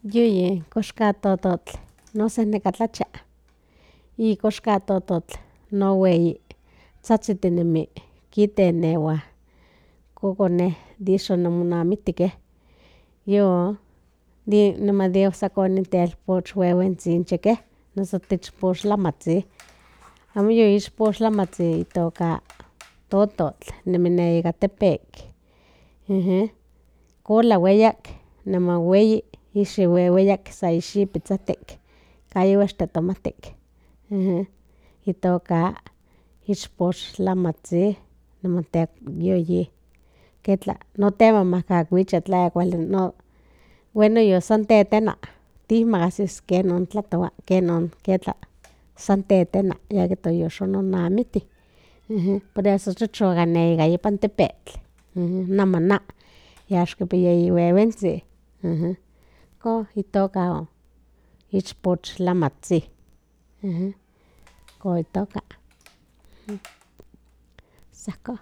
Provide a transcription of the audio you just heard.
Yuyi kox ka tototl noso nekatlacha y kox ka tototl no weyi tzatzitinemi kitenewa kokone de ixo monamiktikej niman de okse telpoch wehuentzintzi noso tichpoxtlamantli amo yoixpoxtlamantli itoka tototl nemi ne ecatepec cola ueyak niman weyi ixi ueyak sa ixipitzatik kayoua ixtotomatik itoka ixpoxtlamantli niman yoyi ketla notemamacahuicha tla kuali bueno san tetena timacasis kenon tlatoua kenon ketla san tetena yeka yoxononamiti por eso chochoka nika ipan tepetl namana yaxkipia ihuehuentzi ijkon itoka ichpochtlamantli ijkon itoka san ajkon.